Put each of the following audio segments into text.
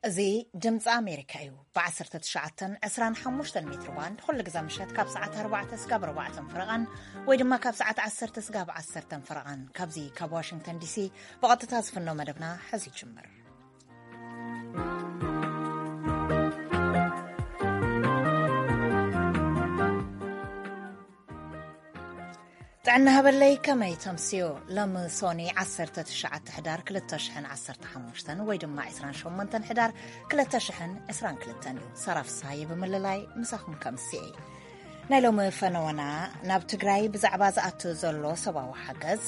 እዚ ድምፂ ኣሜሪካ እዩ። ብ19፣ 25 ሜትር ባንድ ኩሉ ግዜ ምሸት ካብ ሰዓት ኣርባዕተ ስጋብ ኣርባዕተ ፍረቓን ወይ ድማ ካብ ሰዓት ዓሰርተ ስጋብ ዓሰርተ ፍረቓን፣ ካብዚ ካብ ዋሽንግተን ዲሲ ብቐጥታ ዝፍኖ መደብና ሕዚ ይጅምር። ጥዕና ሃበለይ፣ ከመይ ተምስዮ? ሎሚ ሶኒ ዓሰርተ ትሽዓተ ሕዳር ክልተ ሽሕን ዓሰርተ ሓሙሽተን ወይ ድማ ዕስራን ሸሞንተን ሕዳር ክልተ ሽሕን ዕስራን ክልተን እዩ። ሰራፍ ሳየ ብምልላይ ምሳኹም ከምስየ። ናይ ሎሚ ፈነወና፣ ናብ ትግራይ ብዛዕባ ዝኣቱ ዘሎ ሰብኣዊ ሓገዝ፣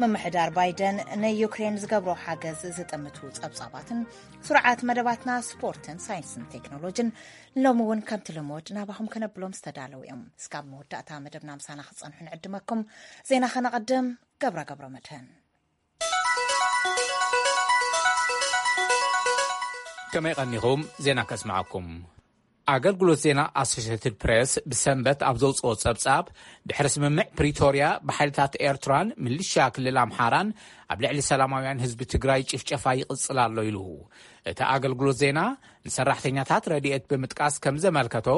ምምሕዳር ባይደን ንዩክሬን ዝገብሮ ሓገዝ ዝጥምቱ ጸብጻባትን ስሩዓት መደባትና ስፖርትን ሳይንስን ቴክኖሎጅን ሎሚ እውን ከምቲ ልሙድ ናባኹም ከነብሎም ዝተዳለዉ እዮም። እስካብ መወዳእታ መደብና ምሳና ክትጸንሑ ንዕድመኩም። ዜና ከነቐድም። ገብረ ገብረ መድህን። ከመይ ቀኒኹም? ዜና ከስምዓኩም። ኣገልግሎት ዜና ኣሶሽየትድ ፕሬስ ብሰንበት ኣብ ዘውፅኦ ጸብጻብ፣ ድሕሪ ስምምዕ ፕሪቶርያ ብሓይልታት ኤርትራን ሚሊሻ ክልል ኣምሓራን ኣብ ልዕሊ ሰላማውያን ህዝቢ ትግራይ ጭፍጨፋ ይቕጽል ኣሎ ኢሉ። እቲ ኣገልግሎት ዜና ንሰራሕተኛታት ረድኤት ብምጥቃስ ከም ዘመልከቶ፣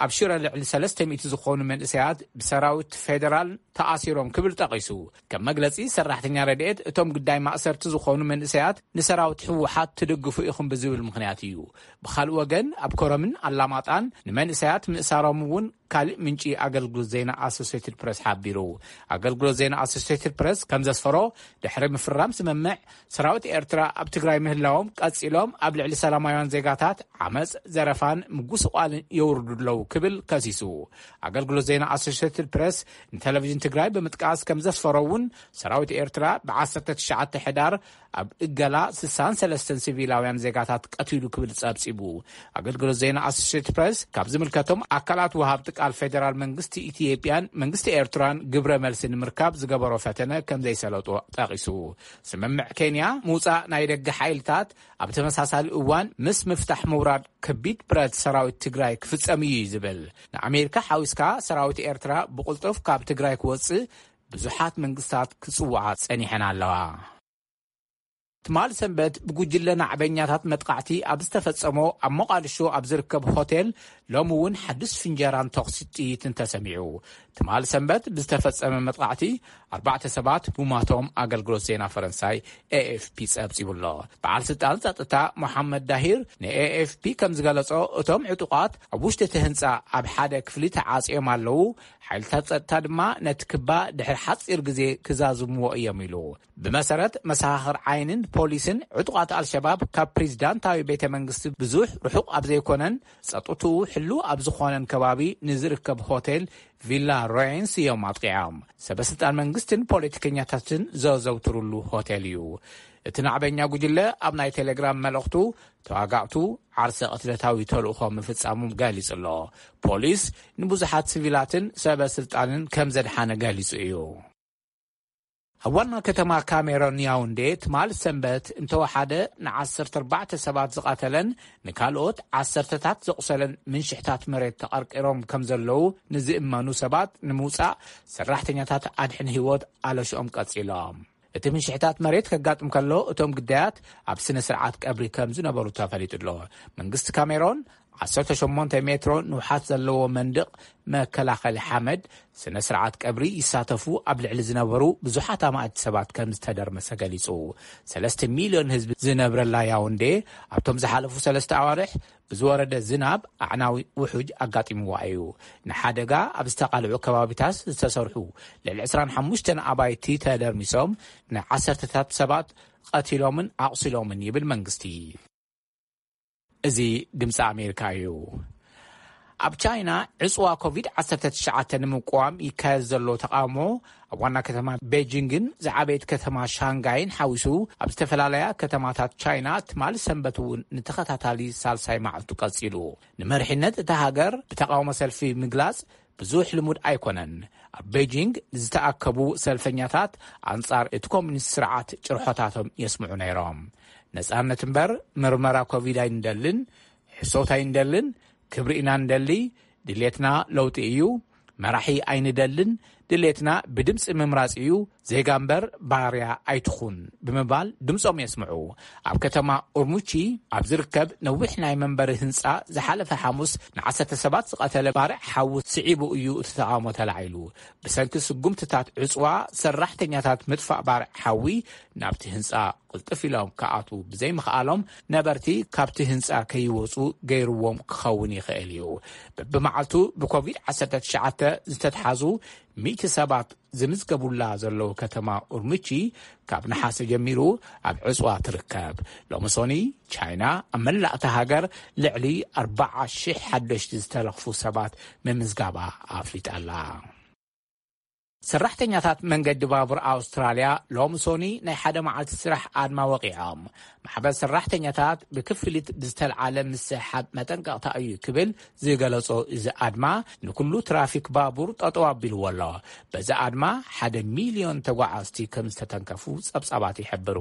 ኣብ ሽረ ልዕሊ ሰለስተ ሚእቲ ዝኾኑ መንእሰያት ብሰራዊት ፌደራል ተኣሲሮም ክብል ጠቒሱ። ከም መግለጺ ሰራሕተኛ ረድኤት፣ እቶም ግዳይ ማእሰርቲ ዝኾኑ መንእሰያት ንሰራዊት ህወሓት ትድግፉ ኢኹም ብዝብል ምኽንያት እዩ። ብኻልእ ወገን ኣብ ኮረምን ኣላማጣን ንመንእሰያት ምእሳሮም እውን ካልእ ምንጪ ኣገልግሎት ዜና ኣሶሴትድ ፕረስ ሓቢሩ። ኣገልግሎት ዜና ኣሶሴትድ ፕረስ ከም ዘስፈሮ፣ ድሕሪ ምፍራም ስምምዕ፣ ሰራዊት ኤርትራ ኣብ ትግራይ ምህላዎም ቀጺሎም ኣብ ልዕሊ ሰላማውያን ዜጋታት ዓመጽ፣ ዘረፋን ምጉስቋልን የውርዱ ኣለዉ ክብል ከሲሱ። ኣገልግሎት ዜና ኣሶሴትድ ፕረስ ንቴሌቪዥን ትግራይ ብምጥቃስ ከም ዘስፈሮ እውን፣ ሰራዊት ኤርትራ ብ19 ሕዳር ኣብ እገላ ስሳን ሰለስተን ሲቪላውያን ዜጋታት ቀቲሉ ክብል ጸብጺቡ። ኣገልግሎት ዜና ኣሶሴትድ ፕረስ ካብ ዝምልከቶም ኣካላት ወሃብቲ ቃል ፌደራል መንግስቲ ኢትዮጵያን መንግስቲ ኤርትራን ግብረ መልሲ ንምርካብ ዝገበሮ ፈተነ ከም ዘይሰለጦ ጠቒሱ። ስምምዕ ኬንያ ምውጻእ ናይ ደገ ሓይልታት ኣብ ተመሳሳሊ እዋን ምስ ምፍታሕ ምውራድ ከቢድ ብረት ሰራዊት ትግራይ ክፍጸም እዩ ዝብል። ንኣሜሪካ ሓዊስካ ሰራዊት ኤርትራ ብቕልጡፍ ካብ ትግራይ ክወጽእ ብዙሓት መንግስታት ክጽውዓ ጸኒሐን ኣለዋ። ትማል ሰንበት ብጉጅለ ናዕበኛታት መጥቃዕቲ ኣብ ዝተፈጸሞ ኣብ ሞቓዲሾ ኣብ ዝርከብ ሆቴል ሎሚ እውን ሓድሽ ፍንጀራን ተኹሲ ጥይትን ተሰሚዑ። ትማል ሰንበት ብዝተፈጸመ መጥቃዕቲ ኣርባዕተ ሰባት ምሟቶም ኣገልግሎት ዜና ፈረንሳይ ኤኤፍፒ ጸብጺቡ ኣሎ። በዓል ስልጣን ጸጥታ ሞሓመድ ዳሂር ንኤኤፍፒ ከም ዝገለጾ፣ እቶም ዕጡቓት ኣብ ውሽጢ እቲ ህንጻ ኣብ ሓደ ክፍሊ ተዓጽዮም ኣለዉ። ሓይልታት ጸጥታ ድማ ነቲ ክባ ድሕሪ ሓጺር ግዜ ክዛዝምዎ እዮም ኢሉ። ብመሰረት መሰኻኽር ዓይንን ፖሊስን፣ ዕጡቓት ኣልሸባብ ካብ ፕሬዚዳንታዊ ቤተ መንግስቲ ብዙሕ ርሑቕ ኣብ ዘይኮነን ጸጥትኡ ሕሉው ኣብ ዝኾነን ከባቢ ንዝርከብ ሆቴል ቪላ ሮየንስ እዮም ኣጥቂዖም። ሰበስልጣን መንግስትን ፖለቲከኛታትን ዘዘውትሩሉ ሆቴል እዩ። እቲ ናዕበኛ ጉጅለ ኣብ ናይ ቴሌግራም መልእኽቱ፣ ተዋጋእቱ ዓርሰ ቅትለታዊ ተልእኾ ምፍጻሞም ገሊጹ ኣሎ። ፖሊስ ንብዙሓት ሲቪላትን ሰበ ስልጣንን ከም ዘድሓነ ገሊጹ እዩ። ኣብ ዋና ከተማ ካሜሮን ያውንዴ ትማል ሰንበት እንተወሓደ ን14 ሰባት ዝቐተለን ንካልኦት ዓሰርተታት ዘቑሰለን ምንሽሕታት መሬት ተቐርቂሮም ከም ዘለዉ ንዝእመኑ ሰባት ንምውጻእ ሰራሕተኛታት ኣድሕን ህይወት ኣለሽኦም ቀጺሎም። እቲ ምንሽሕታት መሬት ከጋጥም ከሎ፣ እቶም ግዳያት ኣብ ስነ ስርዓት ቀብሪ ከም ዝነበሩ ተፈሊጡ ኣሎ። መንግስቲ ካሜሮን 18 ሜትሮ ንውሓት ዘለዎ መንድቕ መከላኸሊ ሓመድ፣ ስነ ስርዓት ቀብሪ ይሳተፉ ኣብ ልዕሊ ዝነበሩ ብዙሓት ኣማእቲ ሰባት ከም ዝተደርመሰ ገሊጹ። ሰለስተ ሚልዮን ህዝቢ ዝነብረላ ያውንዴ ኣብቶም ዝሓለፉ ሰለስተ ኣዋርሕ ብዝወረደ ዝናብ ኣዕናዊ ውሑጅ ኣጋጢምዋ እዩ። ንሓደጋ ኣብ ዝተቓልዑ ከባቢታት ዝተሰርሑ ልዕሊ ዕስራን ሓሙሽተን ኣባይቲ ተደርሚሶም፣ ንዓሰርተታት ሰባት ቀቲሎምን ኣቑሲሎምን ይብል መንግስቲ። እዚ ድምፂ ኣሜሪካ እዩ። ኣብ ቻይና ዕፅዋ ኮቪድ-19 ንምቅዋም ይካየድ ዘሎ ተቃውሞ፣ ኣብ ዋና ከተማ ቤጂንግን ዝዓበየት ከተማ ሻንጋይን ሓዊሱ፣ ኣብ ዝተፈላለያ ከተማታት ቻይና ትማሊ ሰንበት እውን ንተኸታታሊ ሳልሳይ መዓልቱ ቀጺሉ። ንመሪሕነት እታ ሃገር ብተቃውሞ ሰልፊ ምግላጽ ብዙሕ ልሙድ ኣይኮነን። ኣብ ቤጂንግ ዝተኣከቡ ሰልፈኛታት ኣንጻር እቲ ኮሚኒስት ስርዓት ጭርሖታቶም የስምዑ ነይሮም። ነጻነት እምበር ምርመራ ኮቪድ ኣይንደልን፣ ሕሶት ኣይንደልን፣ ክብሪ ኢና ንደሊ፣ ድሌትና ለውጢ እዩ፣ መራሒ ኣይንደልን፣ ድሌትና ብድምጺ ምምራጽ እዩ፣ ዜጋ እምበር ባርያ ኣይትኹን ብምባል ድምጾም የስምዑ። ኣብ ከተማ ኡርሙቺ ኣብ ዝርከብ ነዊሕ ናይ መንበሪ ህንጻ ዝሓለፈ ሓሙስ ንዓሰርተ ሰባት ዝቐተለ ባርዕ ሓዊ ስዒቡ እዩ እቲ ተቓውሞ ተላዒሉ። ብሰንኪ ስጉምትታት ዕጽዋ ሰራሕተኛታት ምጥፋእ ባርዕ ሓዊ ናብቲ ህንጻ ቅልጥፍ ኢሎም ክኣትዉ ብዘይምኽኣሎም ነበርቲ ካብቲ ህንጻ ከይወጹ ገይርዎም ክኸውን ይኽእል እዩ። በብመዓልቱ ብኮቪድ ዓሰርተ ትሽዓተ ዝተትሓዙ ሚእቲ ሰባት ዝምዝገቡላ ዘለዉ ከተማ ኡርምቺ ካብ ነሓሰ ጀሚሩ ኣብ ዕጽዋ ትርከብ። ሎሚ ሶኒ ቻይና ኣብ መላእታ ሃገር ልዕሊ ኣርባዓ ሽሕ ሓደሽቲ ዝተለኽፉ ሰባት ምምዝጋባ ኣፍሊጣ ኣላ። ሰራሕተኛታት መንገዲ ባቡር ኣውስትራልያ ሎሚ ሶኒ ናይ ሓደ መዓልቲ ስራሕ ኣድማ ወቂዖም። ማሕበር ሰራሕተኛታት ብክፍሊት ብዝተልዓለ ምስሕሓብ መጠንቀቕታ እዩ ክብል ዝገለጾ እዚ ኣድማ ንኩሉ ትራፊክ ባቡር ጠጠው ኣቢልዎ ኣሎ። በዚ ኣድማ ሓደ ሚልዮን ተጓዓዝቲ ከም ዝተተንከፉ ጸብጻባት ይሕብሩ።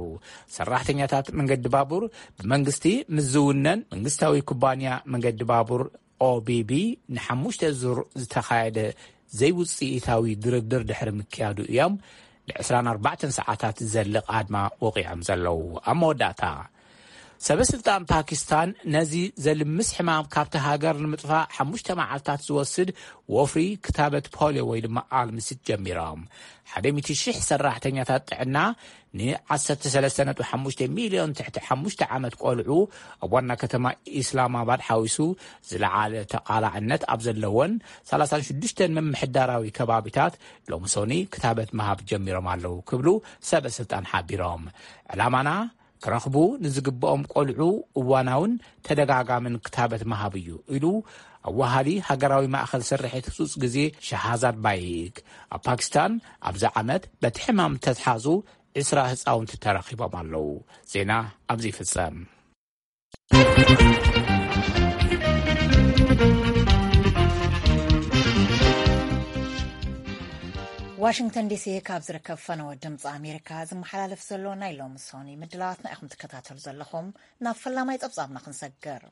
ሰራሕተኛታት መንገዲ ባቡር ብመንግስቲ ምስ ዝውነን መንግስታዊ ኩባንያ መንገዲ ባቡር ኦቢቢ ንሓሙሽተ ዙር ዝተኻየደ ዘይውፅኢታዊ ድርድር ድሕሪ ምክያዱ እዮም ን ዕስራን ኣርባዕተን ሰዓታት ዝዘልቕ ኣድማ ወቒዖም ዘለዉ። ኣብ መወዳእታ ሰበ ስልጣን ፓኪስታን ነዚ ዘልምስ ሕማም ካብቲ ሃገር ንምጥፋእ ሓሙሽተ መዓልታት ዝወስድ ወፍሪ ክታበት ፖሊዮ ወይ ድማ ኣልምሲት ጀሚሮም። ሓደ ሚእቲ ሽሕ ሰራሕተኛታት ጥዕና ን ዓሰርተ ሰለስተ ነጥቢ ሓሙሽተ ሚልዮን ትሕቲ ሓሙሽተ ዓመት ቆልዑ ኣብ ዋና ከተማ ኢስላማባድ ሓዊሱ ዝለዓለ ተቓላዕነት ኣብ ዘለወን ሰላሳን ሽዱሽተን ምምሕዳራዊ ከባቢታት ሎሚ ሶኒ ክታበት ምሃብ ጀሚሮም ኣለዉ ክብሉ ሰበ ስልጣን ሓቢሮም። ዕላማና ክረኽቡ ንዝግብኦም ቆልዑ እዋናውን ተደጋጋምን ክታበት ምሃብ እዩ ኢሉ ኣዋሃዲ ሃገራዊ ማእኸል ስርሒት ህጹጽ ግዜ ሻሃዛድ ባይክ። ኣብ ፓኪስታን ኣብዚ ዓመት በቲ ሕማም ተትሓዙ ዕስራ ህጻውንቲ ተረኺቦም ኣለዉ። ዜና ኣብዚ ይፍጸም። ዋሽንግተን ዲሲ ካብ ዝርከብ ፈነወ ድምፂ ኣሜሪካ ዝመሓላለፍ ዘሎ ናይ ሎሚ ሶኒ ምድላዋትና ኢኹም ትከታተሉ ዘለኹም። ናብ ፈላማይ ጸብጻብና ክንሰግር።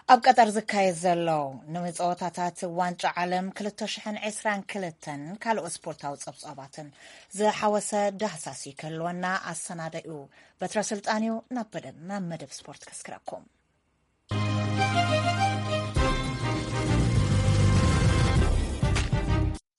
ኣብ ቀጠር ዝካየድ ዘሎ ንመጸወታታት ዋንጫ ዓለም ክልተ ሽሕን ዕስራን ክልተን ካልኦት ስፖርታዊ ጸብጻባትን ዝሓወሰ ዳህሳስ ክህልወና ኣሰናዳኡ በትረ ስልጣን እዩ። ናብ በደ-፣ ናብ መደብ ስፖርት ከስክረኩም።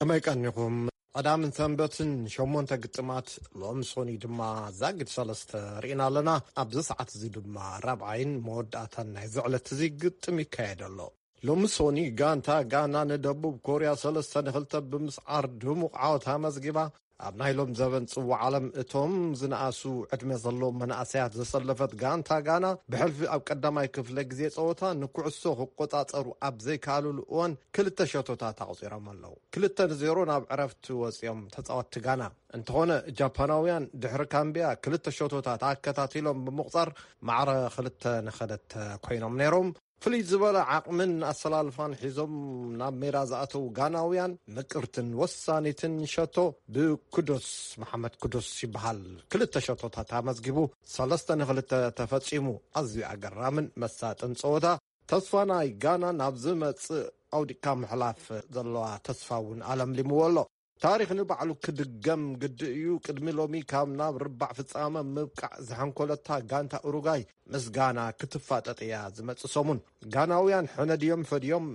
ከመይ ቀኒኹም? ቀዳምን ሰንበትን ሸሞንተ ግጥማት፣ ሎም ሶኒ ድማ ዛጊድ ሰለስተ ርኢና ኣለና። ኣብዚ ሰዓት እዚ ድማ ራብዓይን መወዳእታን ናይ ዝዕለት እዚ ግጥም ይካየድ ኣሎ። ሎም ሶኒ ጋንታ ጋና ንደቡብ ኮርያ ሰለስተ ንኽልተ ብምስዓር ድሙቕ ዓወት ኣመዝጊባ። ኣብ ናይ ሎም ዘበን ጽዋዕ ዓለም እቶም ዝነኣሱ ዕድመ ዘለዎም መናእሰያት ዘሰለፈት ጋንታ ጋና ብሕልፊ ኣብ ቀዳማይ ክፍለ ግዜ ጸወታ ንኩዕሶ ክቆጻጸሩ ኣብ ዘይከኣሉሉ እዋን ክልተ ሸቶታት ኣቑጺሮም ኣለዉ። ክልተ ንዜሮ ናብ ዕረፍቲ ወጺኦም ተጻወትቲ ጋና። እንተኾነ ጃፓናውያን ድሕሪ ካምቢያ ክልተ ሸቶታት ኣከታቲሎም ብምቑጻር ማዕረ ክልተ ንኸልተ ኮይኖም ነይሮም። ፍልይ ዝበለ ዓቕምን ኣሰላልፋን ሒዞም ናብ ሜዳ ዝኣተዉ ጋናውያን ምቅርትን ወሳኒትን ሸቶ ብኩዶስ መሓመድ ኩዶስ ይበሃል። ክልተ ሸቶታት ኣመዝጊቡ ሰለስተ ንኽልተ ተፈጺሙ። ኣዝዩ ኣገራምን መሳጥን ጸወታ። ተስፋ ናይ ጋና ናብ ዝመጽእ ኣውዲቕካ ምሕላፍ ዘለዋ ተስፋ እውን ኣለምሊምዎ ኣሎ። ታሪኽ ንባዕሉ ክድገም ግዲ እዩ። ቅድሚ ሎሚ ካብ ናብ ርባዕ ፍጻመ ምብቃዕ ዝሓንኮለታ ጋንታ ኡሩጋይ ምስ ጋና ክትፋጠጥ እያ ዝመጽእ ሰሙን። ጋናውያን ሕነ ድዮም ፈድዮም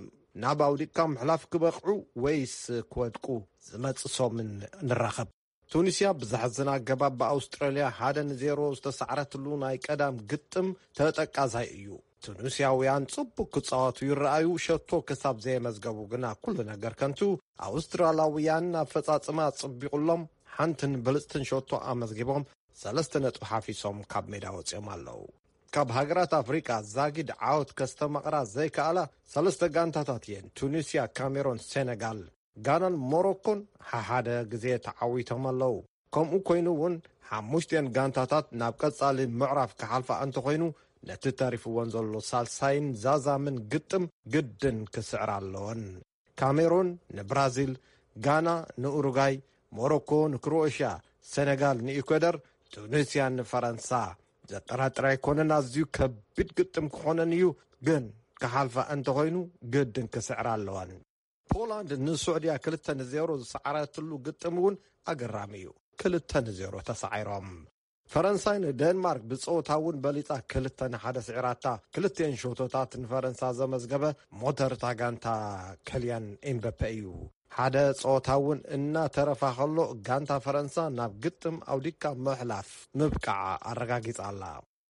ናብ ኣውዲቕካ ምሕላፍ ክበቕዑ ወይስ ክወድቁ? ዝመጽእ ሰሙን ንራኸብ። ቱኒስያ ብዘሕዝን ኣገባብ ብኣውስትራልያ ሓደ ንዜሮ ዝተሳዕረትሉ ናይ ቀዳም ግጥም ተጠቃሳይ እዩ። ቱኒስያውያን ጽቡቅ ክጻወቱ ይረኣዩ፣ ሸቶ ክሳብ ዘየመዝገቡ ግና ኩሉ ነገር ከንቱ። ኣውስትራላውያን ኣፈጻጽማ ጽቢቑሎም፣ ሓንትን ብልጽትን ሸቶ ኣመዝጊቦም ሰለስተ ነጥቢ ሓፊሶም ካብ ሜዳ ወጺኦም ኣለዉ። ካብ ሃገራት ኣፍሪቃ ዛጊድ ዓወት ከስተማቕራ ዘይከኣላ ሰለስተ ጋንታታት እየን፣ ቱኒስያ፣ ካሜሮን፣ ሴነጋል። ጋናን ሞሮኮን ሓሓደ ግዜ ተዓዊቶም ኣለዉ። ከምኡ ኮይኑ እውን ሓሙሽቲኤን ጋንታታት ናብ ቀጻሊ ምዕራፍ ክሓልፋ እንተኾይኑ ነቲ ተሪፍወን ዘሎ ሳልሳይን ዛዛምን ግጥም ግድን ክስዕራ ኣለወን። ካሜሩን ንብራዚል፣ ጋና ንኡሩጋይ፣ ሞሮኮ ንክሮኤሽያ፣ ሰነጋል ንኢኳደር፣ ቱኒስያ ንፈረንሳ። ዘጠራጥር ኣይኮነን፣ ኣዝዩ ከቢድ ግጥም ክኾነን እዩ። ግን ክሓልፋ እንተኾይኑ ግድን ክስዕራ ኣለወን። ፖላንድ ንስዑድያ ክልተ ንዜሮ ዝሰዓረትሉ ግጥም እውን ኣገራሚ እዩ። ክልተ ንዜሮ ተሳዒሮም። ፈረንሳይ ንደንማርክ ብጸወታ እውን በሊጻ ክልተ ንሓደ ስዒራታ። ክልቲኤን ሸቶታት ንፈረንሳ ዘመዝገበ ሞተር እታ ጋንታ ከልያን ኤምበፔ እዩ። ሓደ ጸወታ እውን እናተረፋ ከሎ ጋንታ ፈረንሳ ናብ ግጥም ኣውዲካ ምሕላፍ ምብቃዓ ኣረጋጊጻ ኣላ።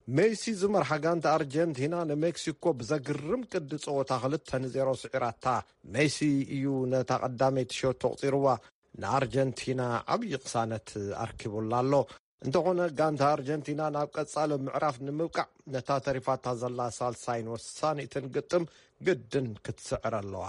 ሜሲ ዝመርሓ ጋንታ ኣርጀንቲና ንሜክሲኮ ብዘግርም ቅዲ ጸወታ ክልተ ንዜሮ ስዒራታ። ሜሲ እዩ ነታ ቀዳመይቲ ሸቶ ኣቑጺርዋ። ንኣርጀንቲና ዓብዪ ቅሳነት ኣርኪቡላ ኣሎ። እንተኾነ ጋንታ ኣርጀንቲና ናብ ቀጻሊ ምዕራፍ ንምብቃዕ ነታ ተሪፋታ ዘላ ሳልሳይን ወሳኒትን ግጥም ግድን ክትስዕር ኣለዋ።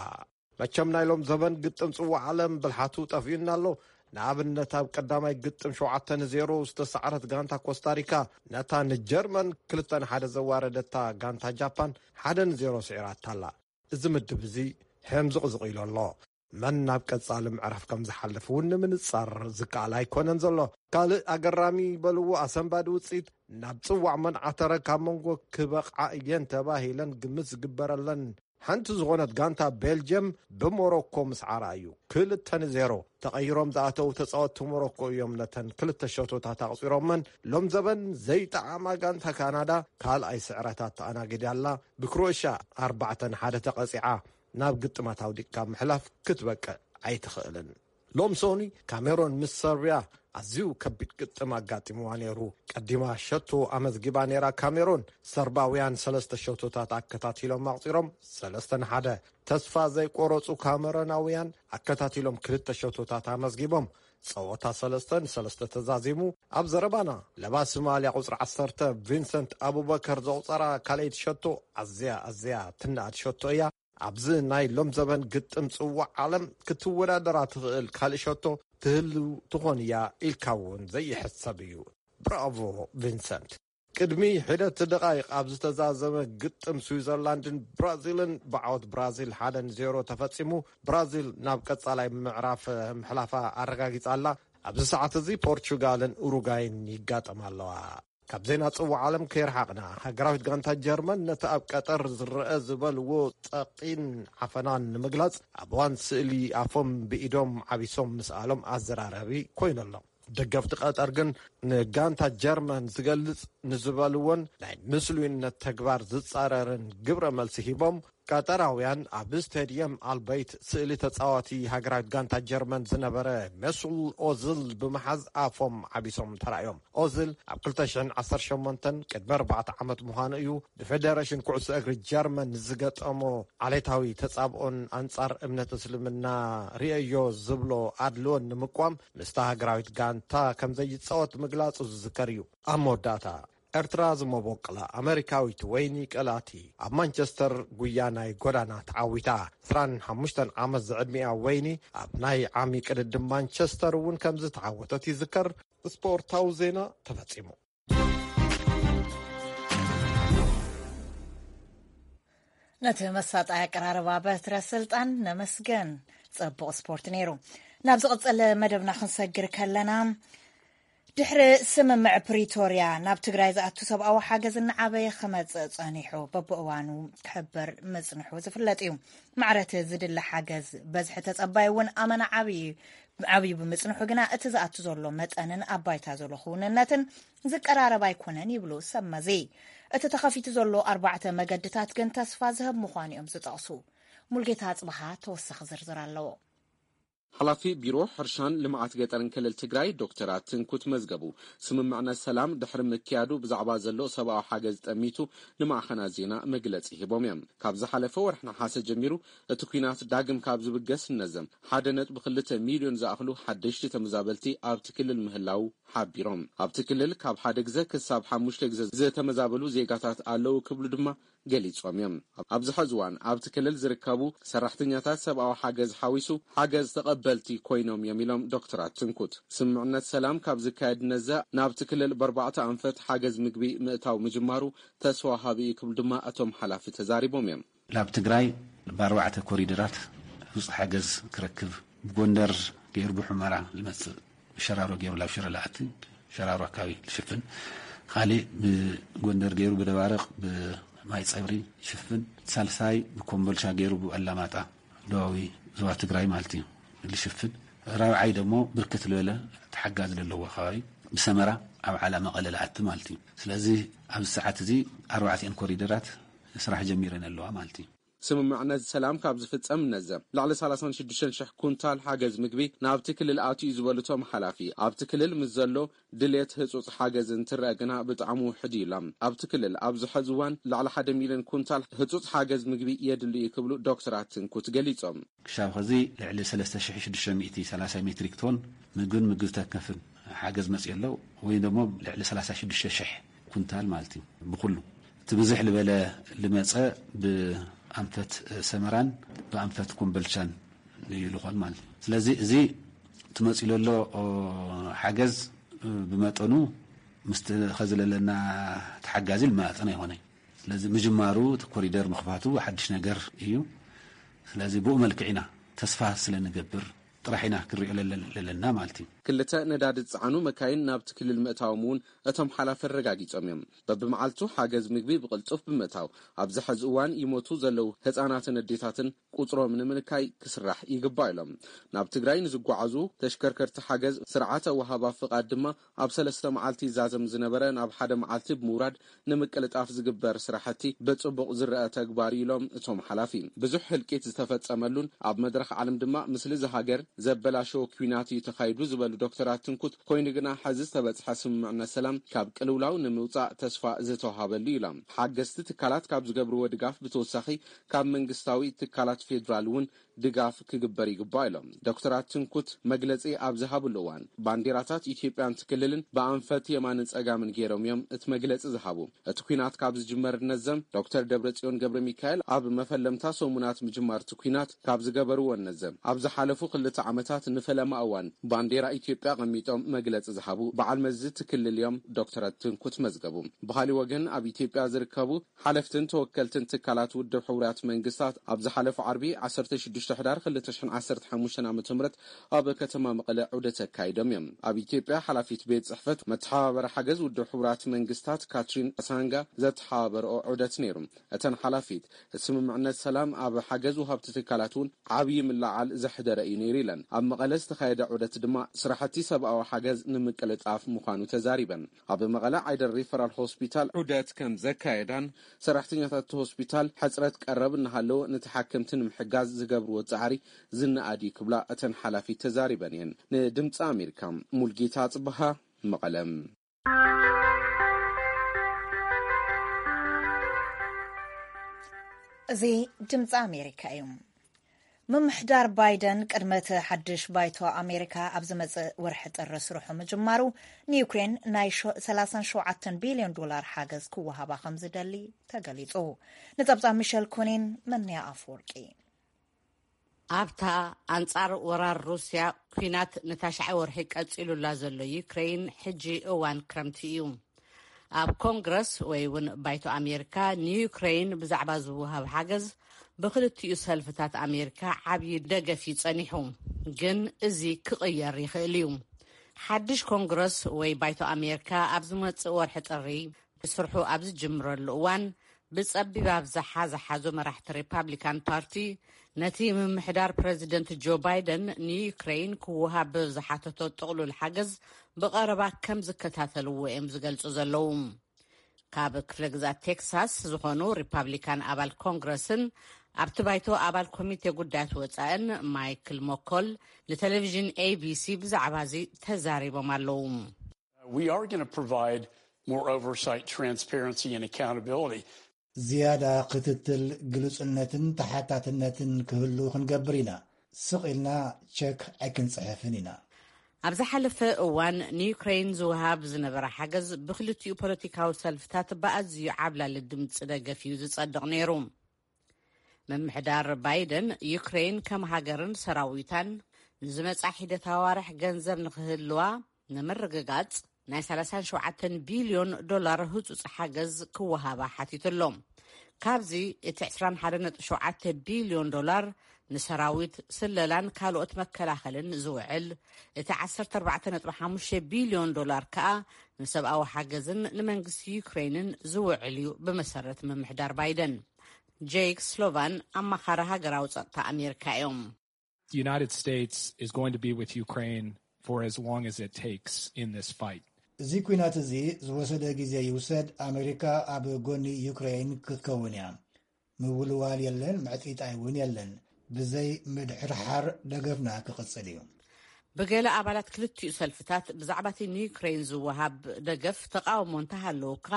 መቸም ናይ ሎም ዘበን ግጥም ጽዋዕ ዓለም ብልሓቱ ጠፊኡና ኣሎ። ንኣብነት ኣብ ቀዳማይ ግጥም ሸውዓተ ንዜሮ ዝተሳዕረት ጋንታ ኮስታሪካ ነታ ንጀርመን ክልተ ንሓደ ዘዋረደታ ጋንታ ጃፓን ሓደ ንዜሮ ስዒራታ ኣላ። እዚ ምድብ እዚ ሕምዝቕዝቕ ኢሉ ኣሎ። መን ናብ ቀጻሊ ምዕራፍ ከም ዝሓልፍ እውን ንምንጻር ዝከኣል ኣይኮነን ዘሎ። ካልእ ኣገራሚ በልዎ ኣሰንባዲ ውጽኢት ናብ ጽዋዕ መን ዓተረ ካብ መንጎ ክበቕዓ እየን ተባሂለን ግምት ዝግበረለን ሓንቲ ዝኾነት ጋንታ ቤልጅየም ብሞሮኮ ምስዓራ እዩ። ክልተ ንዜሮ ተቐይሮም ዝኣተዉ ተጻወትቲ ሞሮኮ እዮም ነተን ክልተ ሸቶታት ኣቕጺሮመን። ሎም ዘበን ዘይጠዓማ ጋንታ ካናዳ ካልኣይ ስዕረታት ተኣናጊዳ ኣላ። ብክሮኤሽያ ኣርባዕተ ንሓደ ተቐጺዓ ናብ ግጥማት ኣውዲቅካ ምሕላፍ ክትበቅዕ ኣይትኽእልን። ሎም ሶኒ ካሜሮን ምስ ሰርብያ ኣዝዩ ከቢድ ግጥም ኣጋጢምዋ ነይሩ። ቀዲማ ሸቶ ኣመዝጊባ ነይራ ካሜሮን። ሰርባውያን ሰለስተ ሸቶታት ኣከታቲሎም ኣቕጺሮም ሰለስተ ንሓደ። ተስፋ ዘይቆረጹ ካሜሮናውያን ኣከታቲሎም ክልተ ሸቶታት ኣመዝጊቦም። ጸወታ ሰለስተ ንሰለስተ ተዛዚሙ። ኣብ ዘረባና ለባሲ ማልያ ቁጽሪ ዓሰርተ ቪንሰንት ኣቡበከር ዘቑጸራ ካልኣይቲ ሸቶ ኣዝያ ኣዝያ ትነኣድ ሸቶ እያ። ኣብዚ ናይ ሎም ዘበን ግጥም ጽዋዕ ዓለም ክትወዳደራ ትኽእል ካልእ ሸቶ ትህሉ ትኾን እያ ኢልካ እውን ዘይሕሰብ እዩ። ብራቮ ቪንሰንት። ቅድሚ ሒደት ደቓይቕ ኣብ ዝተዛዘመ ግጥም ስዊዘርላንድን ብራዚልን ብዓወት ብራዚል ሓደ ንዜሮ ተፈጺሙ። ብራዚል ናብ ቀጻላይ ምዕራፍ ምሕላፋ ኣረጋጊጻ ኣላ። ኣብዚ ሰዓት እዚ ፖርቹጋልን ኡሩጋይን ይጋጠማ ኣለዋ። ካብ ዜና ጽዋዕ ዓለም ከይረሓቕና፣ ሃገራዊት ጋንታ ጀርመን ነቲ ኣብ ቀጠር ዝረአ ዝበልዎ ጸቕጢን ዓፈናን ንምግላጽ ኣብ እዋን ስእሊ ኣፎም ብኢዶም ዓቢሶም ምስኣሎም ኣዘራራቢ ኮይኑ ኣሎ። ደገፍቲ ቀጠር ግን ንጋንታ ጀርመን ዝገልጽ ንዝበልዎን ናይ ምስሉይነት ተግባር ዝጻረርን ግብረ መልሲ ሂቦም። ቀጠራውያን ኣብ ስቴድየም ኣልበይት ስእሊ ተጻዋቲ ሃገራዊት ጋንታ ጀርመን ዝነበረ ሜሱል ኦዝል ብምሓዝ ኣፎም ዓቢሶም ተራእዮም። ኦዝል ኣብ ክልተ ሽሕን ዓሰርተ ሸሞንተን ቅድሚ ኣርባዕተ ዓመት ምዃኑ እዩ ብፌደሬሽን ኩዕሶ እግሪ ጀርመን ዝገጠሞ ዓሌታዊ ተጻብኦን ኣንጻር እምነት እስልምና ርእየዮ ዝብሎ ኣድልዎን ንምቋም ምስታ ሃገራዊት ጋንታ ከም ዘይጻወት ምግላጹ ዝዝከር እዩ። ኣብ መወዳእታ ኤርትራ ዝመቦቅላ ኣመሪካዊት ወይኒ ቀላቲ ኣብ ማንቸስተር ጉያ ናይ ጎዳና ተዓዊታ። ዕስራን ሓሙሽተን ዓመት ዝዕድሚኣ ወይኒ ኣብ ናይ ዓሚ ቅድድም ማንቸስተር እውን ከም ዝተዓወተት ይዝከር። ስፖርታዊ ዜና ተፈጺሙ። ነቲ መሳጣይ ኣቀራርባ በትረ ስልጣን ነመስገን። ጽቡቕ ስፖርት ነይሩ። ናብ ዝቕጽል መደብና ክንሰግር ከለና፣ ድሕሪ ስምምዕ ፕሪቶርያ ናብ ትግራይ ዝኣቱ ሰብኣዊ ሓገዝ እናዓበየ ክመጽእ ጸኒሑ፣ በብእዋኑ ክሕበር ምጽንሑ ዝፍለጥ እዩ። ማዕረቲ ዝድለ ሓገዝ በዝሒ ተጸባይ እውን ኣመና ዓብዪ ዓብዩ ብምጽንሑ ግና፣ እቲ ዝኣቱ ዘሎ መጠንን ኣብ ባይታ ዘሎ ክውንነትን ዝቀራረብ ኣይኮነን ይብሉ ሰብ መዚ። እቲ ተኸፊቱ ዘሎ ኣርባዕተ መገድታት ግን ተስፋ ዝህብ ምዃኑ እዮም ዝጠቕሱ። ሙልጌታ ኣጽብሃ ተወሳኺ ዝርዝር ኣለዎ። ሓላፊ ቢሮ ሕርሻን ልምዓት ገጠርን ክልል ትግራይ ዶክተር ኣትንኩት መዝገቡ፣ ስምምዕነት ሰላም ድሕሪ ምክያዱ ብዛዕባ ዘሎ ሰብኣዊ ሓገዝ ጠሚቱ ንማዕኸናት ዜና መግለጺ ሂቦም እዮም። ካብ ዝሓለፈ ወርሒ ነሓሰ ጀሚሩ እቲ ኲናት ዳግም ካብ ዝብገስ ነዘም ሓደ ነጥቢ ክልተ ሚልዮን ዝኣኽሉ ሓደሽቲ ተመዛበልቲ ኣብቲ ክልል ምህላው ሓቢሮም። ኣብቲ ክልል ካብ ሓደ ግዘ ክሳብ ሓሙሽተ ግዘ ዝተመዛበሉ ዜጋታት ኣለዉ ክብሉ ድማ ገሊጾም እዮም። ኣብዚ ሕዚ እዋን ኣብቲ ክልል ዝርከቡ ሰራሕተኛታት ሰብኣዊ ሓገዝ ሓዊሱ ሓገዝ ተቐበልቲ ኮይኖም እዮም ኢሎም ዶክተር ኣትንኩት። ስምምዕነት ሰላም ካብ ዝካየድ ነዘ ናብቲ ክልል ብኣርባዕተ ኣንፈት ሓገዝ ምግቢ ምእታው ምጅማሩ ተስፋ ወሃቢ እዩ ክብሉ ድማ እቶም ሓላፊ ተዛሪቦም እዮም። ናብ ትግራይ ብኣርባዕተ ኮሪደራት ውፅእ ሓገዝ ክረክብ፣ ብጎንደር ገይሩ ብሑመራ ዝመፅእ፣ ብሸራሮ ገይሩ ናብ ሽረ ልኣትን፣ ሸራሮ ኣካባቢ ዝሽፍን፣ ካሊእ ብጎንደር ገይሩ ብደባርቕ ብማይ ፀብሪ ዝሽፍን፣ ሳልሳይ ብኮምቦልቻ ገይሩ ብኣላማጣ ደቡባዊ ዞባ ትግራይ ማለት እዩ ዝሽፍን። ራብዓይ ደሞ ብርክት ዝበለ ተሓጋዚ ዘለዎ ከባቢ ብሰመራ ኣብ ዓላ መቐለ ለኣቲ ማለት እዩ። ስለዚ ኣብዚ ሰዓት እዚ ኣርባዕቲኤን ኮሪደራት ስራሕ ጀሚረን ኣለዋ ማለት እዩ። ስምምዕነት ሰላም ካብ ዝፍጸም ነዘ ልዕሊ ሰላሳን ሽዱሽተን ሽሕ ኩንታል ሓገዝ ምግቢ ናብቲ ክልል ኣትዩ ዝበሉ እቶም ሓላፊ፣ ኣብቲ ክልል ምስ ዘሎ ድሌት ህጹጽ ሓገዝ እንትረአ ግና ብጣዕሚ ውሕድ እዩ ኢሎም። ኣብቲ ክልል ኣብዚ ሐዚ እዋን ልዕሊ ሓደ ሚልዮን ኩንታል ህጹጽ ሓገዝ ምግቢ የድሊ እዩ ክብሉ ዶክተር ኣትንኩት ገሊጾም። ክሻብ ኸዚ ልዕሊ ሰለስተ ሽሕ ሽዱሽተ ሚእቲ ሰላሳ ሜትሪክ ቶን ምግብን ምግቢ ተከፍን ሓገዝ መጽእ ኣሎ፣ ወይ ደሞ ልዕሊ ሰላሳ ሽዱሽተ ሽሕ ኩንታል ማለት እዩ። ብኩሉ እቲ ብዝሕ ዝበለ ልመጸ ብኣንፈት ሰመራን ብኣንፈት ኮምበልቻን እዩ ልኾን ማለት እዩ። ስለዚ እዚ ትመጽእ ዘሎ ሓገዝ ብመጠኑ ምስቲ ኸዚ ለለና ተሓጋዚ ልመጣጠን ኣይኮነይ። ስለዚ ምጅማሩ እቲ ኮሪደር ምኽፋቱ ሓድሽ ነገር እዩ። ስለዚ ብኡ መልክዕ ኢና ተስፋ ስለ ንገብር ጥራሕ ኢና ክንሪኦ ለለ- ለለና ማለት እዩ። ክልተ ነዳዲ ዝጸዓኑ መካይን ናብቲ ክልል ምእታዎም እውን እቶም ሓላፊ ኣረጋጊጾም እዮም። በብመዓልቱ ሓገዝ ምግቢ ብቕልጡፍ ብምእታው ኣብዚ ሐዚ እዋን ይሞቱ ዘለዉ ህጻናትን ኣዴታትን ቁጽሮም ንምንካይ ክስራሕ ይግባእ ኢሎም። ናብ ትግራይ ንዝጓዓዙ ተሽከርከርቲ ሓገዝ ስርዓተ ወሃባ ፍቓድ ድማ ኣብ ሰለስተ መዓልቲ ይዛዘም ዝነበረ ናብ ሓደ መዓልቲ ብምውራድ ንምቅልጣፍ ዝግበር ስራሕቲ ብጽቡቕ ዝረአ ተግባር ኢሎም እቶም ሓላፊ። ብዙሕ ህልቂት ዝተፈጸመሉን ኣብ መድረኽ ዓለም ድማ ምስሊ እዚ ሃገር ዘበላሸወ ኲናት እዩ ተኻይዱ ዝበሉ ዶክተር ኣትንኩት፣ ኮይኑ ግና ሐዚ ዝተበጽሐ ስምምዕነት ሰላም ካብ ቅልውላው ንምውጻእ ተስፋ ዝተውሃበሉ ኢሎም። ሓገዝቲ ትካላት ካብ ዝገብርዎ ድጋፍ ብተወሳኺ ካብ መንግስታዊ ትካላት ፌዴራል እውን ድጋፍ ክግበር ይግባእ ኢሎም። ዶክተር ኣትንኩት መግለጺ ኣብ ዝሃብሉ እዋን ባንዲራታት ኢትዮጵያን ትክልልን ብኣንፈት የማንን ጸጋምን ገይሮም እዮም እቲ መግለጺ ዝሃቡ። እቲ ኲናት ካብ ዝጅመር ነዘም ዶክተር ደብረጽዮን ገብረ ሚካኤል ኣብ መፈለምታ ሰሙናት ምጅማር እቲ ኲናት ካብ ዝገበርዎ ነዘም ኣብ ዝሓለፉ ክልተ ዓመታት ንፈለማ እዋን ባንዴራ ኢትዮጵያ ቀሚጦም መግለጺ ዝሃቡ በዓል መዚ ትክልል እዮም ዶክተር ኣትንኩት መዝገቡ። ብኻሊ ወገን ኣብ ኢትዮጵያ ዝርከቡ ሓለፍትን ተወከልትን ትካላት ውድብ ሕቡራት መንግስታት ኣብ ዝሓለፈ ዓርቢ ዓሰርተ ሽዱሽተ ሕዳር ክልተ ሽሕን ዓሰርተ ሓሙሽተን ዓመተ ምህረት ኣብ ከተማ መቐለ ዑደት ኣካይዶም እዮም። ኣብ ኢትዮጵያ ሓላፊት ቤት ጽሕፈት መተሓባበሪ ሓገዝ ውድብ ሕቡራት መንግስታት ካትሪን ሳንጋ ዘተሓባበረኦ ዑደት ነይሩ። እተን ሓላፊት እቲ ስምምዕነት ሰላም ኣብ ሓገዝ ወሃብቲ ትካላት እውን ዓብዪ ምልዓል ዘሕደረ እዩ ነይሩ ኢለን። ኣብ መቐለ ዝተኻየደ ዑደት ድማ ስራሕቲ ሰብኣዊ ሓገዝ ንምቅልጣፍ ምዃኑ ተዛሪበን። ኣብ መቐለ ዓይደር ሪፈራል ሆስፒታል ዑደት ከም ዘካየዳን ሰራሕተኛታት እቲ ሆስፒታል ሕፅረት ቀረብ እናሃለወ ንተሓከምቲ ንምሕጋዝ ዝገብርዎ ፃዕሪ ዝነኣድ እዩ ክብላ እተን ሓላፊት ተዛሪበን እየን። ንድምፂ ኣሜሪካ ሙልጌታ ፅበሃ መቐለ። እዚ ድምፂ ኣሜሪካ እዩ። ምምሕዳር ባይደን ቅድመ እቲ ሓድሽ ባይቶ ኣሜሪካ ኣብ ዝመጽእ ወርሒ ጥሪ ስርሑ ምጅማሩ፣ ንዩክሬን ናይ ሸ- ሰላሳን ሸውዓተን ቢልዮን ዶላር ሓገዝ ክወሃባ ከም ዝደሊ ተገሊጹ። ንጸብጻብ ሚሸል ኮኒን መንያ ኣፈወርቂ። ኣብታ ኣንጻር ወራር ሩስያ ኲናት ንታሽዓይ ወርሒ ቀጺሉላ ዘሎ ዩክሬን፣ ሕጂ እዋን ክረምቲ እዩ። ኣብ ኮንግረስ ወይ እውን ባይቶ ኣሜሪካ ንዩክሬን ብዛዕባ ዝወሃብ ሓገዝ ብክልቲኡ ሰልፍታት ኣሜሪካ ዓብዪ ደገፍ እዩ ጸኒሑ። ግን እዚ ክቕየር ይኽእል እዩ። ሓድሽ ኮንግረስ ወይ ባይቶ ኣሜሪካ ኣብ ዝመጽእ ወርሒ ጥሪ ስርሑ ኣብ ዝጅምረሉ እዋን፣ ብጸቢብ ኣብዝሓ ዝሓዙ መራሕቲ ሪፓብሊካን ፓርቲ፣ ነቲ ምምሕዳር ፕረዚደንት ጆ ባይደን ንዩክሬን ክወሃብ ዝሓተቶ ጥቕሉል ሓገዝ ብቐረባ ከም ዝከታተልዎ እዮም ዝገልጹ ዘለዉ። ካብ ክፍለ ግዛት ቴክሳስ ዝኾኑ ሪፓብሊካን ኣባል ኮንግረስን ኣብቲ ባይቶ ኣባል ኮሚቴ ጉዳያት ወጻእን ማይክል ሞኮል ንቴሌቪዥን ኤቢሲ ብዛዕባ እዚ ተዛሪቦም ኣለዉ። We are going to provide more oversight, transparency, and accountability. ዝያዳ ክትትል፣ ግሉጽነትን ተሓታትነትን ክህሉ ክንገብር ኢና። ስቕ ኢልና ቸክ ኣይክንጽሕፍን ኢና። ኣብ ዝሓለፈ እዋን ንዩክሬን ዝወሃብ ዝነበረ ሓገዝ ብክልቲኡ ፖለቲካዊ ሰልፍታት ብኣዝዩ ዓብላሊ ድምፂ ደገፍ እዩ ዝጸድቕ ነይሩ። ምምሕዳር ባይደን፣ ዩክሬን ከም ሃገርን ሰራዊታን ንዝመጻ ሒደት ኣዋርሕ ገንዘብ ንኽህልዋ ንምርግጋጽ፣ ናይ ሰላሳን ሸውዓተን ቢልዮን ዶላር ህጹጽ ሓገዝ ክወሃባ ሓቲቱ ኣሎ። ካብዚ እቲ ዕስራን ሓደን ነጥቢ ሸውዓተ ቢልዮን ዶላር ንሰራዊት፣ ስለላን ካልኦት መከላኸልን ዝውዕል፣ እቲ ዓሰርተ ኣርባዕተ ነጥቢ ሓሙሽተ ቢልዮን ዶላር ከኣ ንሰብኣዊ ሓገዝን ንመንግስቲ ዩክሬንን ዝውዕል እዩ፣ ብመሰረት ምምሕዳር ባይደን። ጄክ ስሎቫን ኣማኻሪ ሃገራዊ ጸጥታ ኣሜሪካ እዮም። The United States is going to be with Ukraine for as long as it takes in this fight. እዚ ኲናት እዚ ዝወሰደ ግዜ ይውሰድ፣ ኣሜሪካ ኣብ ጎኒ ዩክሬን ክትከውን እያ። ምውልዋል የለን፣ ምዕጥይጣይ እውን የለን። ብዘይ ምድሕርሓር ደገፍና ክቕጽል እዩ። ብገለ ኣባላት ክልቲኡ ሰልፍታት ብዛዕባ እቲ ንዩክሬን ዝወሃብ ደገፍ ተቃውሞ እንተሃለዉ እኳ፣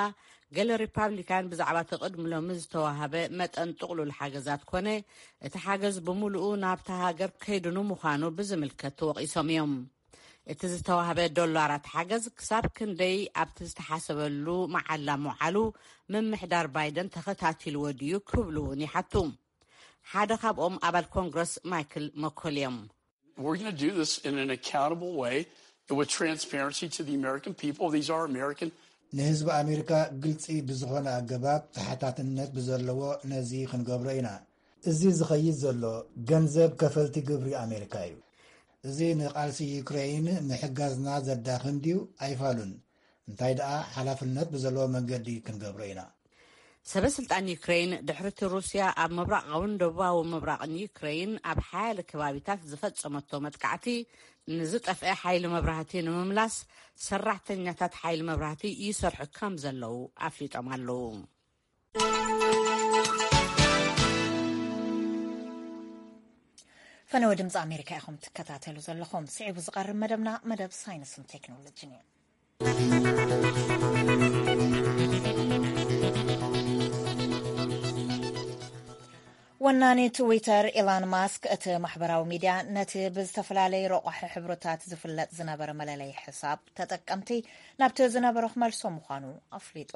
ገለ ሪፓብሊካን ብዛዕባ እቲ ቅድሚ ሎሚ ዝተዋህበ መጠን ጥቕሉል ሓገዛት ኮነ እቲ ሓገዝ ብምሉኡ ናብታ ሃገር ከይዱ ንምዃኑ ብዝምልከት ተወቒሶም እዮም። እቲ ዝተዋህበ ዶላራት ሓገዝ ክሳብ ክንደይ ኣብቲ ዝተሓሰበሉ መዓላ ምውዓሉ ምምሕዳር ባይደን ተኸታቲልዎ ድዩ ክብሉ እውን ይሓቱ። ሓደ ካብኦም ኣባል ኮንግረስ ማይክል መኮል እዮም። We're going to do this in an accountable way and with transparency to the American people. These are American. ንህዝቢ ኣሜሪካ ግልፂ ብዝኾነ ኣገባብ ተሓታትነት ብዘለዎ ነዚ ክንገብሮ ኢና። እዚ ዝኸይድ ዘሎ ገንዘብ ከፈልቲ ግብሪ ኣሜሪካ እዩ። እዚ ንቓልሲ ዩክሬይን ምሕጋዝና ዘዳኽም ድዩ? ኣይፋሉን። እንታይ ደኣ ሓላፍነት ብዘለዎ መንገዲ ክንገብሮ ኢና። ሰበ ስልጣን ዩክሬይን ድሕርቲ ሩስያ ኣብ ምብራቓውን ደቡባዊ ምብራቕን ዩክሬይን ኣብ ሓያለ ከባቢታት ዝፈጸመቶ መጥቃዕቲ ንዝጠፍአ ሓይሊ መብራህቲ ንምምላስ ሰራሕተኛታት ሓይሊ መብራህቲ ይሰርሑ ከም ዘለዉ ኣፍሊጦም ኣለዉ። ፈነወ ድምፂ ኣሜሪካ ኢኹም ትከታተሉ ዘለኹም። ስዒቡ ዝቐርብ መደብና መደብ ሳይንስን ቴክኖሎጂን እዩ። ወናኒ ትዊተር ኢላን ማስክ እቲ ማሕበራዊ ሚድያ ነቲ ብዝተፈላለየ ረቋሒ ሕብርታት ዝፍለጥ ዝነበረ መለለይ ሕሳብ ተጠቀምቲ ናብቲ ዝነበሮ ክመልሶ ምዃኑ ኣፍሊጡ።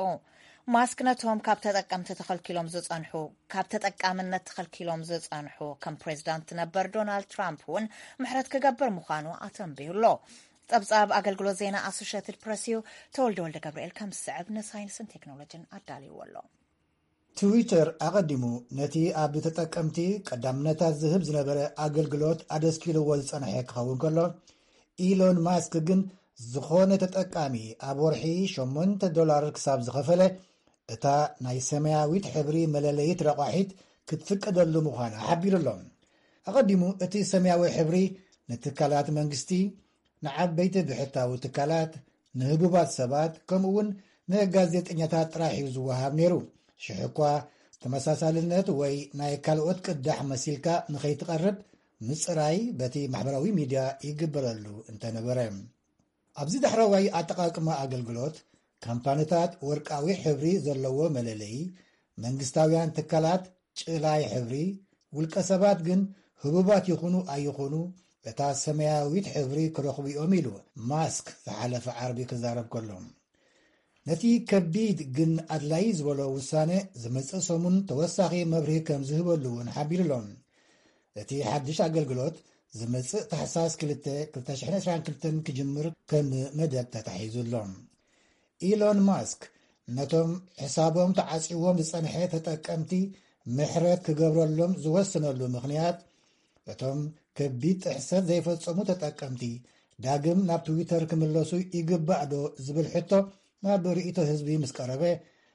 ማስክ ነቶም ካብ ተጠቀምቲ ተኸልኪሎም ዝጸንሑ ካብ ተጠቃምነት ተኸልኪሎም ዝጸንሑ ከም ፕሬዚዳንት ነበር ዶናልድ ትራምፕ እውን ምሕረት ክገብር ምዃኑ ኣተንብዩ ኣሎ። ጸብጻብ ኣገልግሎት ዜና ኣሶሽትድ ፕረስ እዩ። ተወልደ ወልደ ገብርኤል ከም ዝስዕብ ንሳይንስን ቴክኖሎጂን ኣዳልይዎ ኣሎ። ትዊተር ኣቐዲሙ ነቲ ኣብ ተጠቀምቲ ቀዳምነታት ዝህብ ዝነበረ ኣገልግሎት ኣደስኪልዎ ዝጸንሐ ክኸውን ከሎ፣ ኢሎን ማስክ ግን ዝኾነ ተጠቃሚ ኣብ ወርሒ ሸሞንተ ዶላር ክሳብ ዝኸፈለ እታ ናይ ሰማያዊት ሕብሪ መለለይት ረቋሒት ክትፍቀደሉ ምዃና ሓቢሩ ኣሎ። ኣቐዲሙ እቲ ሰማያዊ ሕብሪ ንትካላት መንግስቲ፣ ንዓበይቲ ብሕታዊ ትካላት፣ ንህቡባት ሰባት፣ ከምኡ እውን ንጋዜጠኛታት ጥራሕ እዩ ዝወሃብ ነይሩ። ሽሕ እኳ ተመሳሳልነት ወይ ናይ ካልኦት ቅዳሕ መሲልካ ንኸይትቐርብ ምጽራይ በቲ ማሕበራዊ ሚድያ ይግበረሉ እንተነበረ፣ ኣብዚ ዳሕረዋይ ኣጠቓቕማ ኣገልግሎት ካምፓኒታት ወርቃዊ ሕብሪ ዘለዎ መለለዪ፣ መንግስታውያን ትካላት ጭላይ ሕብሪ፣ ውልቀ ሰባት ግን ህቡባት ይኹኑ ኣይኹኑ እታ ሰማያዊት ሕብሪ ክረኽቡ እዮም ኢሉ ማስክ ዝሓለፈ ዓርቢ ክዛረብ ከሎ። ነቲ ከቢድ ግን ኣድላዪ ዝበሎ ውሳነ ዝመጽእ ሰሙን ተወሳኺ መብርሂ ከም ዝህበሉ እውን ሓቢሩ ኣሎ። እቲ ሓድሽ ኣገልግሎት ዝመጽእ ታሕሳስ ክልተ ክልተ ሽሕን ዕስራን ክልተን ክጅምር ከም መደብ ተታሒዙ ኣሎ። ኢሎን ማስክ ነቶም ሕሳቦም ተዓጽዎም ዝጸንሐ ተጠቀምቲ ምሕረት ክገብረሎም ዝወሰነሉ ምኽንያት፣ እቶም ከቢድ ጥሕሰት ዘይፈጸሙ ተጠቀምቲ ዳግም ናብ ትዊተር ክምለሱ ይግባእ ዶ ዝብል ሕቶ ናብ ርእይቶ ህዝቢ ምስ ቀረበ፣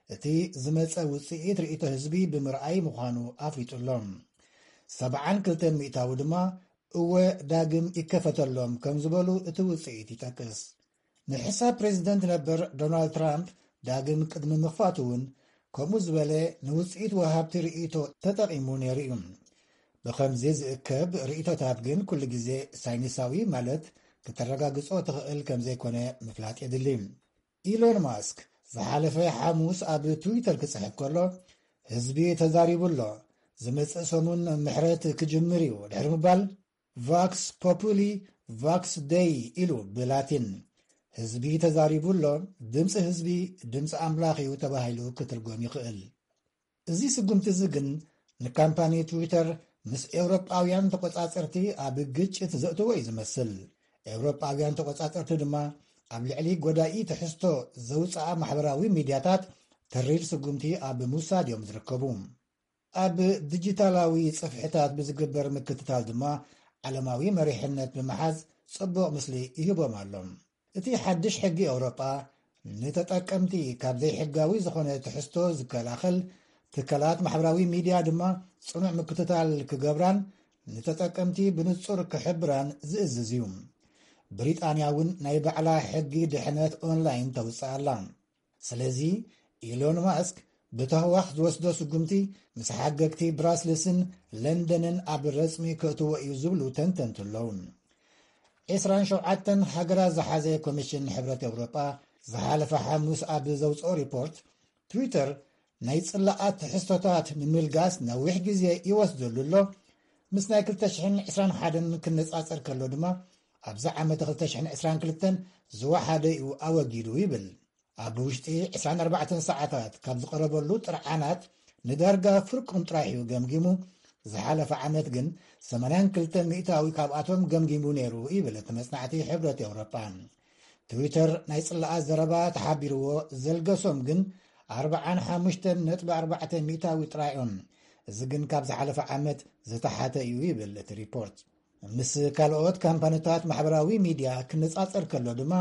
እቲ ዝመጸ ውጽኢት ርእይቶ ህዝቢ ብምርኣይ ምዃኑ ኣፍሊጡ ኣሎ። ሰብዓን ክልተን ሚእታዊ ድማ እወ ዳግም ይከፈተሎም ከም ዝበሉ እቲ ውጽኢት ይጠቅስ። ንሕሳብ ፕሬዚደንት ነበር ዶናልድ ትራምፕ ዳግም ቅድሚ ምኽፋቱ እውን ከምኡ ዝበለ ንውጽኢት ወሃብቲ ርእይቶ ተጠቒሙ ነይሩ እዩ። ብኸምዚ ዝእከብ ርእይቶታት ግን ኩሉ ግዜ ሳይንሳዊ ማለት ክተረጋግጾ ትኽእል ከም ዘይኮነ ምፍላጥ የድሊ። ኢሎን ማስክ ዝሓለፈ ሓሙስ ኣብ ትዊተር ክጽሕፍ ከሎ፣ ህዝቢ ተዛሪቡ ኣሎ፣ ዝመጽእ ሰሙን ምሕረት ክጅምር እዩ ድሕሪ ምባል፣ ቫክስ ፖፑሊ ቫክስ ደይ ኢሉ ብላቲን፣ ህዝቢ ተዛሪቡ ኣሎ፣ ድምፂ ህዝቢ ድምፂ ኣምላኽ እዩ ተባሂሉ ክትርጎም ይኽእል። እዚ ስጉምቲ እዚ ግን ንካምፓኒ ትዊተር ምስ ኤውሮጳውያን ተቆጻጸርቲ ኣብ ግጭት ዘእትዎ እዩ ዝመስል። ኤውሮጳውያን ተቆጻጸርቲ ድማ ኣብ ልዕሊ ጎዳኢ ትሕዝቶ ዘውፅኣ ማሕበራዊ ሚድያታት ተሪር ስጉምቲ ኣብ ምውሳድ እዮም ዝርከቡ። ኣብ ዲጂታላዊ ጽፍሕታት ብዝግበር ምክትታል ድማ ዓለማዊ መሪሕነት ብምሓዝ ጽቡቕ ምስሊ ይህቦም ኣሎ። እቲ ሓድሽ ሕጊ ኤውሮጳ ንተጠቀምቲ ካብ ዘይሕጋዊ ዝኾነ ትሕዝቶ ዝከላኸል፣ ትካላት ማሕበራዊ ሚድያ ድማ ጽኑዕ ምክትታል ክገብራን ንተጠቀምቲ ብንጹር ክሕብራን ዝእዝዝ እዩ። ብሪጣንያ እውን ናይ ባዕላ ሕጊ ድሕነት ኦንላይን ተውፅእ ኣላ። ስለዚ ኢሎን ማስክ ብተህዋኽ ዝወስዶ ስጉምቲ ምስ ሓገግቲ ብራስልስን ለንደንን ኣብ ረጽሚ ከእትዎ እዩ ዝብሉ ተንተንቲ ኣለዉ። ዕስራን ሸውዓተን ሃገራት ዝሓዘ ኮሚሽን ሕብረት ኤውሮጳ ዝሓለፈ ሓሙስ ኣብ ዘውፅኦ ሪፖርት፣ ትዊተር ናይ ጽላኣት ትሕዝቶታት ንምልጋስ ነዊሕ ግዜ ይወስደሉ ኣሎ። ምስ ናይ ክልተ ሽሕን ዕስራን ሓደን ክነጻጸር ከሎ ድማ፣ ኣብዚ ዓመት ክልተ ሽሕን ዕስራን ክልተን ዝወሓደ እዩ ኣወጊዱ ይብል። ኣብ ውሽጢ ዕስራን ኣርባዕተን ሰዓታት ካብ ዝቐረበሉ ጥርዓናት ንዳርጋ ፍርቁን ጥራሕ እዩ ገምጊሙ። ዝሓለፈ ዓመት ግን ሰማንያን ክልተን ሚእታዊ ካብኣቶም ገምጊሙ ነይሩ ይብል እቲ መጽናዕቲ ሕብረት ኤውሮጳ። ትዊተር ናይ ጽላኣት ዘረባ ተሓቢርዎ ዘልገሶም ግን ኣርባዓን ሓሙሽተን ነጥቢ ኣርባዕተ ሚእታዊ ጥራይ እዮም። እዚ ግን ካብ ዝሓለፈ ዓመት ዝተሓተ እዩ ይብል እቲ ሪፖርት። ምስ ካልኦት ካምፓኒታት ማሕበራዊ ሚድያ ክነጻጸር ከሎ ድማ፣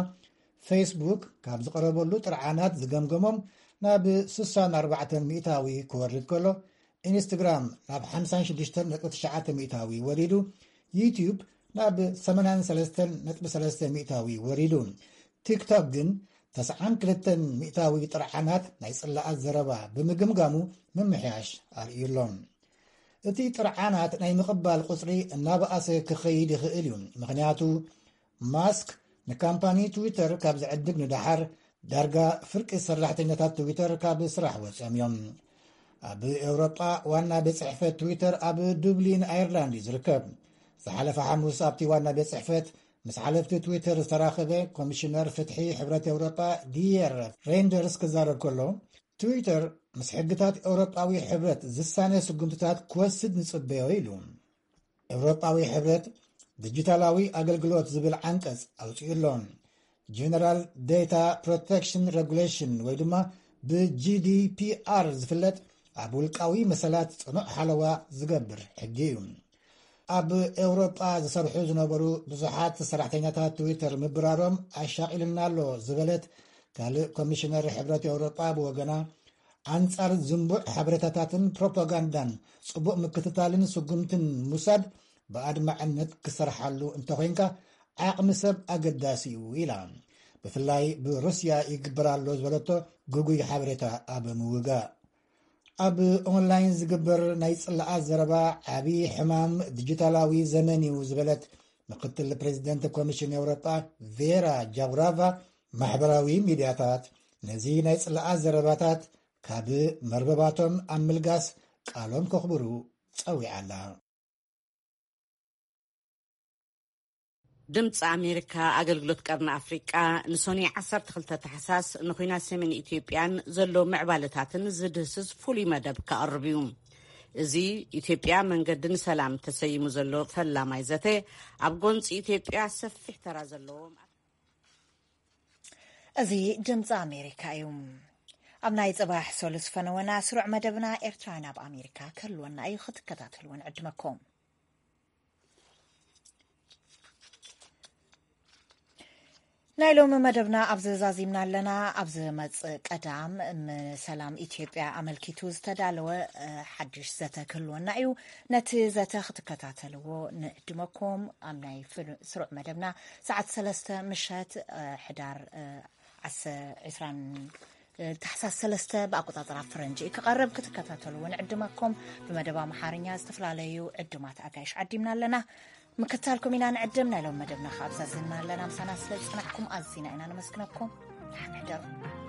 ፌስቡክ ካብ ዝቐረበሉ ጥርዓናት ዝገምገሞም ናብ ስሳን ኣርባዕተን ሚእታዊ ክወርድ ከሎ፣ ኢንስትግራም ናብ ሓምሳን ሽዱሽተን ነጥቢ ትሽዓተ ሚእታዊ ወሪዱ፣ ዩትዩብ ናብ ሰማንያን ሰለስተን ነጥቢ ሰለስተ ሚእታዊ ወሪዱ። ቲክቶክ ግን ተስዓን ክልተን ሚእታዊ ጥርዓናት ናይ ጽላኣት ዘረባ ብምግምጋሙ ምምሕያሽ ኣርእዩ ኣሎ። እቲ ጥርዓናት ናይ ምቕባል ቁጽሪ እናበኣሰ ክኸይድ ይኽእል እዩ። ምኽንያቱ ማስክ ንካምፓኒ ትዊተር ካብ ዝዕድግ ንደሓር ዳርጋ ፍርቂ ሰራሕተኛታት ትዊተር ካብ ስራሕ ወፂኦም እዮም። ኣብ ኤውሮጳ ዋና ቤት ጽሕፈት ትዊተር ኣብ ዱብሊን ኣየርላንድ እዩ ዝርከብ። ዝሓለፈ ሓሙስ ኣብቲ ዋና ቤት ጽሕፈት ምስ ሓለፍቲ ትዊተር ዝተራኸበ ኮሚሽነር ፍትሒ ሕብረት ኤውሮጳ ዲየር ሬንደርስ ክዛረብ ከሎ፣ ትዊተር ምስ ሕግታት ኤውሮጳዊ ሕብረት ዝሳነ ስጉምትታት ክወስድ ንጽበዮ ኢሉ። ኤውሮጳዊ ሕብረት ዲጂታላዊ ኣገልግሎት ዝብል ዓንቀጽ ኣውጺኡ ኣሎ። ጀነራል ዴታ ፕሮቴክሽን ሬጉሌሽን ወይ ድማ ብጂዲፒኣር ዝፍለጥ ኣብ ውልቃዊ መሰላት ጽኑዕ ሓለዋ ዝገብር ሕጊ እዩ። ኣብ ኤውሮጳ ዝሰርሑ ዝነበሩ ብዙሓት ሰራሕተኛታት ትዊተር ምብራሮም ኣሻቒልና ኣሎ ዝበለት ካልእ ኮሚሽነር ሕብረት ኤውሮጳ ብወገና፣ ኣንጻር ዝንቡዕ ሓበሬታታትን ፕሮፓጋንዳን ጽቡቕ ምክትታልን ስጉምትን ምውሳድ ብኣድማዕነት ክሰርሓሉ እንተኾይንካ ዓቕሚ ሰብ ኣገዳሲ እዩ ኢላ። ብፍላይ ብሩስያ ይግበር ኣሎ ዝበለቶ ግጉይ ሓበሬታ ኣብ ምውጋእ። ኣብ ኦንላይን ዝግበር ናይ ጽላኣት ዘረባ ዓቢ ሕማም ዲጂታላዊ ዘመን እዩ ዝበለት ምክትል ፕሬዚደንት ኮሚሽን ኤውሮጳ ቬራ ጃውራቫ፣ ማሕበራዊ ሚድያታት ነዚ ናይ ጽላኣት ዘረባታት ካብ መርበባቶም ኣብ ምልጋስ ቃሎም ከኽብሩ ጸዊዓ ኣላ። ድምፂ ኣሜሪካ ኣገልግሎት ቀርኒ ኣፍሪቃ ንሶኒ ዓሰርተ ክልተ ታሕሳስ ንኹናት ሰሜን ኢትዮጵያን ዘሎ ምዕባለታትን ዝድህስስ ፍሉይ መደብ ከቕርብ እዩ። እዚ ኢትዮጵያ መንገዲ ንሰላም ተሰይሙ ዘሎ ፈላማይ ዘተ ኣብ ጎንፂ ኢትዮጵያ ሰፊሕ ተራ ዘለዎ እዚ ድምፂ ኣሜሪካ እዩ። ኣብ ናይ ጽባሕ ሰሉስ ፈነወና ስሩዕ መደብና ኤርትራውያን ኣብ ኣሜሪካ ክህልወና እዩ፣ ክትከታተልዎ ንዕድመኩም። ናይ ሎሚ መደብና ኣብዚ ዛዚምና ኣለና። ኣብ ዝመጽእ ቀዳም ንሰላም ኢትዮጵያ ኣመልኪቱ ዝተዳለወ ሓድሽ ዘተ ክህልወና እዩ። ነቲ ዘተ ክትከታተልዎ ንዕድመኩም። ኣብ ናይ ስሩዕ መደብና ሰዓት ሰለስተ ምሸት ሕዳር ዕስራን ታሕሳስ ሰለስተ ብኣቆጻጽራ ፈረንጂ ክቐርብ ክትከታተልዎ ንዕድመኩም። ብመደብ ኣምሓርኛ ዝተፈላለዩ ዕዱማት ኣጋይሽ ዓዲምና ኣለና። ምክታልኩም ኢና ንዕድም። ናይ ሎም መደብና ከኣ ኣብዛዝና ኣለና። ምሳና ስለ ዝጸናሕኩም ኣዚና ኢና ነመስግነኩም። ደሓን ሕደሩ።